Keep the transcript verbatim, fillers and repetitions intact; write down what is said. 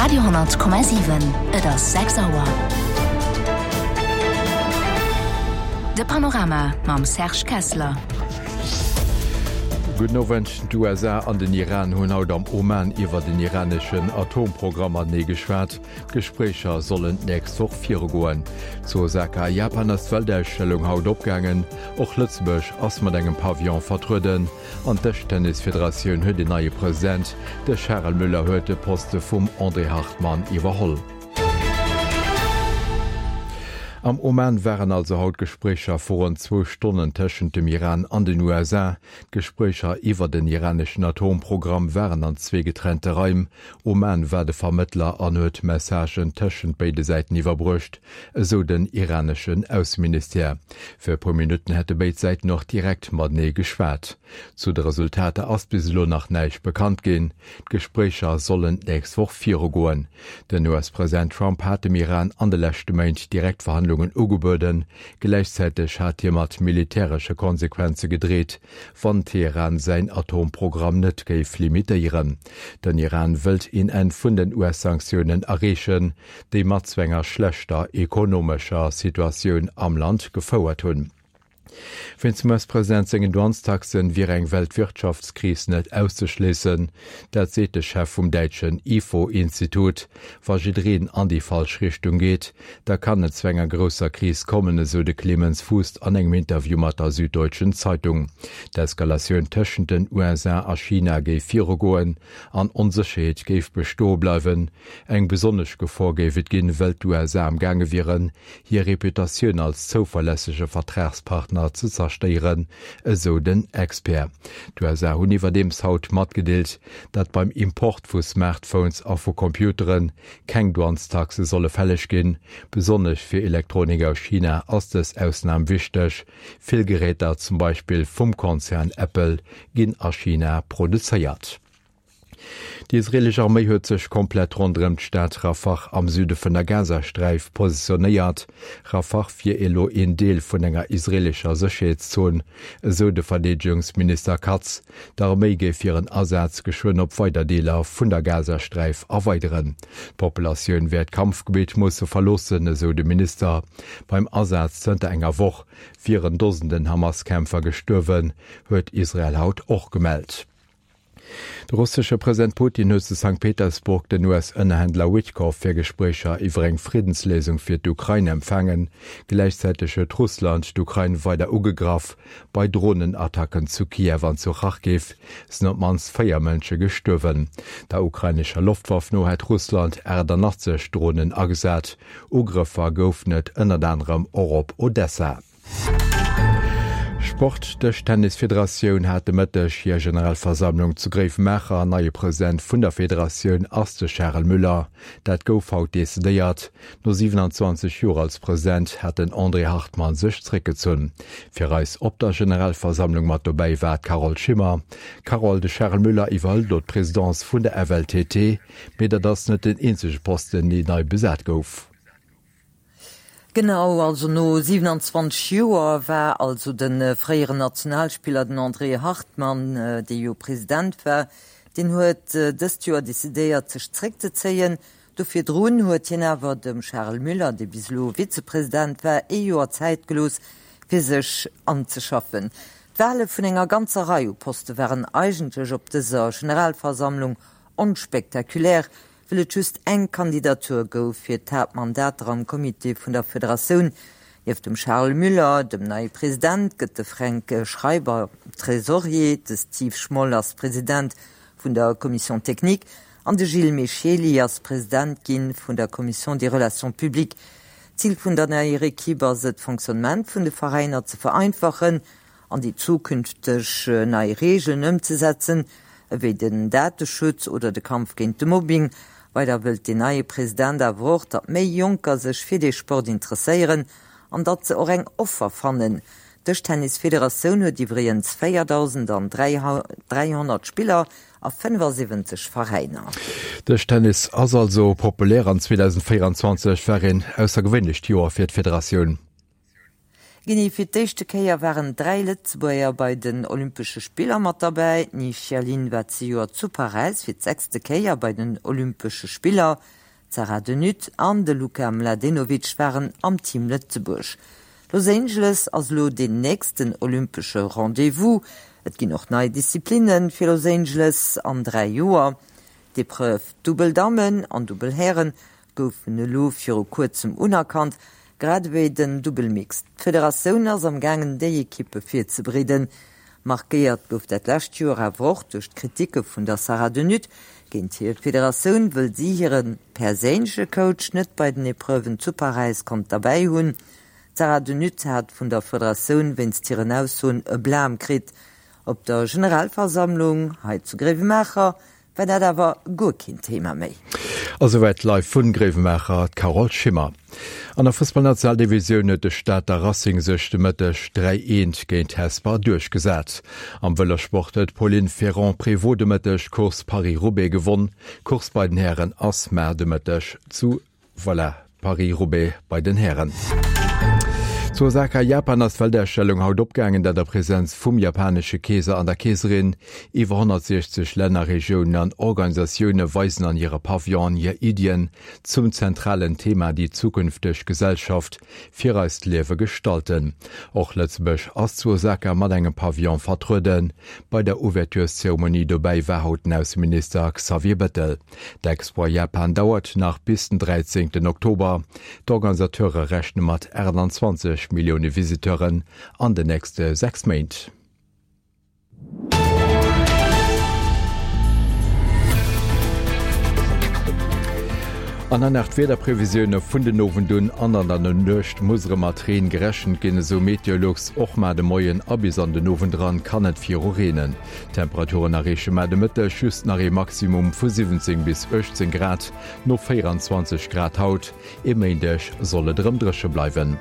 Radio honnert Komma siwen, Et ass sechs Auer. De Panorama mam Serge Kessler. Gudden Owend. D'U S A an den Iran hunn haut am Oman iwwer den iraneschen Atomprogramm matenee geschwat. D'Gespréicher sollen d'nächst Woch virugoen. Zu Osaka a Japan ass d'Weltausstellung haut opgaangen. Och Lëtzebuerg ass mat engem Pavillon vertrueden. An d'Dëschtennisfederatioun huet een neie President. De Charel Müller huet de Poste vum André Hartmann iwwerholl. Am Oman waren also haut Gespréicher vu ronn zwou Stonnen tëschent dem Iran an den U S A. D'Gespréicher iwwer den iraneschen Atomprogramm waren an zwee getrennte Raim. Oman war de Vermëttler an huet Messagen tëschent béide Säiten iwwerbruecht, esou den iraneschen Ausseministère. Fir e puer Minutten hätte béid Säiten och direkt matenee geschwat. Zu de Resultater ass bis elo nach näischt bekannt ginn. D'Gespréicher sollen d'nächst Woch virugoen. Den U S-President Trump hat dem Iran an de leschte Méint direkt Verhandlungen ugebueden. Gläichzäiteg hat hie mat militäresche Konsequenze gedreet, wann Teheran säin Atomprogramm net géif limitéieren. Den Iran wëllt een Enn vun den U S-Sanktiounen erreechen, déi mat zu enger schlechter ekonomescher Situatioun am Land gefouert hunn. Wéinst dem U S-President sengen Douanestaxen wier eng Weltwirtschaftskris net auszeschléissen. Dat seet de Chef vum däitschen I F O-Institut. Wa jiddereen an déi falsch Richtung geet, da kann et zu enger grousser Kris kommen, esou de Clemens Fuest an engem Interview mat der Süddeutschen Zeitung. D'Eskalatioun tëschent den U S A a China géif virugoen an Onsécherheet géif bestoe bleiwen. Eng besonnesch Gefor géif et ginn, well d'U S A am gaange wieren, hir Reputatioun als zouverlässege Vertragspartner ze zerstéieren, esou den Expert. D'U S A hunn iwwerdeems haut matgedeelt, dat beim Import vu Smartphones a vu Computeren keng Douanestaxe solle fälleg ginn. Besonnesch fir Elektronik aus China ass dës Ausnam wichteg. Vill Geräter, zum Beispill vum Konzern Apple, ginn a China produzéiert. Déi israelesch Arméi huet sech komplett ronderëm d'Stad Rafah am Süde vun der Gazasträif positionéiert. Rafah wier elo een Deel vun enger israelescher Sécherheetszon, esou de Verdeedegungsminister Katz. D'Arméi géif hiren Asaz geschwënn op weider Deeler vun der Gazasträif erweideren. D'Populatioun wäert d'Kampfgebiet musse verloossen, esou de Minister. Beim Asaz zënter enger Woch wieren Dosenden Hamas-Kämpfer gestuerwen, huet Israel haut och gemellt. De russesche President Putin huet zu Sankt Petersburg den U S-Ënnerhändler Witkoff fir Gespréicher iwwer eng Friddensléisung fir d'Ukrain empfaangen. Gläichzäiteg huet Russland d'Ukrain weider ugegraff. Bei Drohnenattacken zu Kiew an zu Charkiw sinn op d'mannst véier Mënsche gestuerwen. Der ukrainescher Loftwaff no hat Russland achtundachtzeg Drohnen agesat. Ugrëffer goufen et ënnert anerem och op Odessa. Sport. D'Dëschtennisfederatioun hat de Mëtteg hir Generalversammlung zu Gréiwemaacher. Neie President vun der Federatioun ass de Charel Müller. Dat gouf haut decidéiert. No siewenundzwanzeg Joer als President hat den André Hartmann sech zréckgezunn. Fir eis op der Generalversammlung mat dobäi war d'Carole Schimmer. Carole, de Charel Müller iwwerhëlt elo d'Presidence vun der F L T T, mee dat ass net den eenzege Posten, deen nei besat gouf. Genau, also no siewenundzwanzeg Joer war also den, äh, fréieren Nationalspieler, den André Hartmann, äh, dee jo President war, den huet, äh, dëst Joer decidéiert, sech zréckzezéien. Dofir drun huet hien awer dem Charel Müller, dee bis elo Vizepresident war, ee Joer Zäit gelooss, fir sech anzeschaffen. D'Wahle vun enger ganzer Rei u Poste waren eigentlech op dëser Generalversammlung onspektakulär, well et just eng Kandidatur gouf fir d'Haaptmandater am Comité vun der Federatioun. Nieft dem Charles Müller, dem neie President, gëtt de Frank Schreiber Trésorier, de Steve Schmoll ass President vun der Commission technique an de Gilles Micheli ass President ginn vun der Commission des Relations publiques. Ziel vun der neier Equipe ass et, d'Fonctionnement vun de Veräiner ze vereinfachen an déi zukünfteg nei Regeln ëmzesetzen, ewéi den Dateschutz oder de Kampf géint de Mobbing. Weider wëllt den neie President awer och, datt méi Jonker sech fir de Sport interesséieren an datt se och eng Offer fannen. D'Dëschtennisfederatioun huet iwwregens véiertausenddräihonnert Spiller a fënnefundsiwwenzeg Veräiner. Dëschtennis ass also populär an zweitausendvierundzwanzeg war een aussergewéinlecht Joer fir d'Federatioun. Genee fir d'éischte Kéier waren dräi Lëtzebuerger bei den Olympesche Spiller mat derbäi. D'Ni Xia Lin war zejoert zu Paräis fir d'sechste Kéier bei den Olympesche Spiller. D'Sarah de Nutte an de Luka Mladenovic waren am Team Lëtzebuerg. Los Angeles ass elo deen nächsten olympesche Rendez-vous. Et ginn och nei Disziplinne fir Los Angeles an dräi Joer. D'Epreuve Dubbel Dammen an Dubbel Hären goufen elo viru kuerzem unerkannt, grad ewéi den Dubbel Mixed. D'Federatioun ass am gaangen déi Ekippe virzebereeden. Markéiert gouf dat lescht Joer awer och duerch d'Kriticke vun der Sarah de Nutte géint hir Federatioun, wëll si hire perséinleche Coach net bei den Epreuven zu Paräis konnt derbäi hunn. D'Sarah de Nutte hat vun der Federatioun wéinst hiren Aussoen e Blam kritt. Op der Generalversammlung hei zu Gréiwemaacher war dat awer guer keen Thema méi. A souwäit live vun Gréiwemaacher d'Carole Schimmer. An der Fussballnationaldivisioun huet de Stater Racing sech de Mëtteg dräi eent géint Hesper duerchgesat. Am Vëlossport huet d'Pauline Ferrand-Prévot de Mëtteg d'Course Paris-Roubaix gewonn. D'Course bei den Hären ass mar de Mëtteg zu Voilà, Paris-Roubaix bei den Hären. Zu Osaka, Japan, ass d'Weltausstellung haut opgaangen, dat a Presenz vum japanesche Keeser an der Keeserin. Iwwer honnertsiechzeg Länner, Regiounen an Organisatioune weisen an hire Pavillonen hir Iddien zum zentralen Thema déi zukünfteg Gesellschaft fir eist Liewe gestalten. Och Lëtzebuerg ass zu Osaka mat engem Pavillon vertrueden. Bei der Ouvertureszeremonie dobäi war haut den Ausseminister Xavier Bettel. D'Expo a Japan dauert nach bis den dräizéngten Oktober. D'Organisateure rechne mat achtanzwanzeg Millioune Visiteuren an den nächste sechs Méint. An dann nach d'Wiederprevisioune vun den Owend un an an der Nuecht muss erëm mat Reen gerechent ginn, esou Meteolux. Och mar de Moien a bis an den Owend eran kann et viru reenen. D'Temperaturen erreeche mar de Mëtteg just nach ee Maximum vu siwwenzéng bis uechtzéng Grad, no véieranzwanzeg Grad haut. E Méindeg soll et erëm dréche bleiwen.